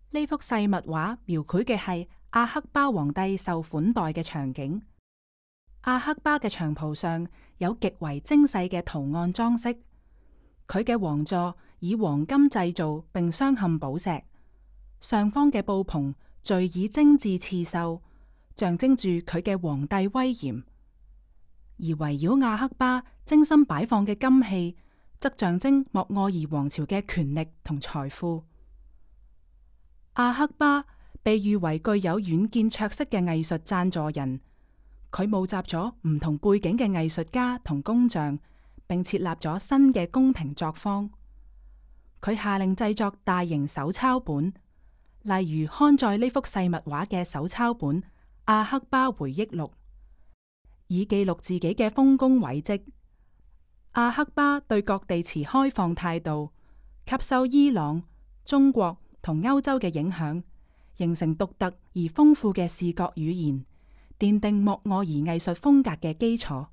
呢幅細密畫描繪嘅係阿克巴皇帝受款待嘅場景。阿克巴嘅長袍上有極為精細嘅圖案裝飾，佢嘅王座以黃金製造並鑲嵌寶石，上方嘅布篷綴以精緻刺繡，象徵住佢嘅皇帝威嚴。而圍繞阿克巴精心擺放嘅金器，則象徵莫臥兒王朝嘅權力同財富。阿克巴被譽為具有遠見卓識嘅藝術贊助人，佢募集咗唔同背景嘅藝術家同工匠，並設立咗新嘅宮廷作坊。佢下令製作大型手抄本，例如刊載呢幅細密畫嘅手抄本《阿克巴回憶錄》，以記錄自己嘅豐功偉績。阿克巴對各地持開放態度，吸收伊朗、中國同歐洲嘅影響，形成獨特而豐富嘅視覺語言，奠定莫臥兒藝術風格嘅基礎。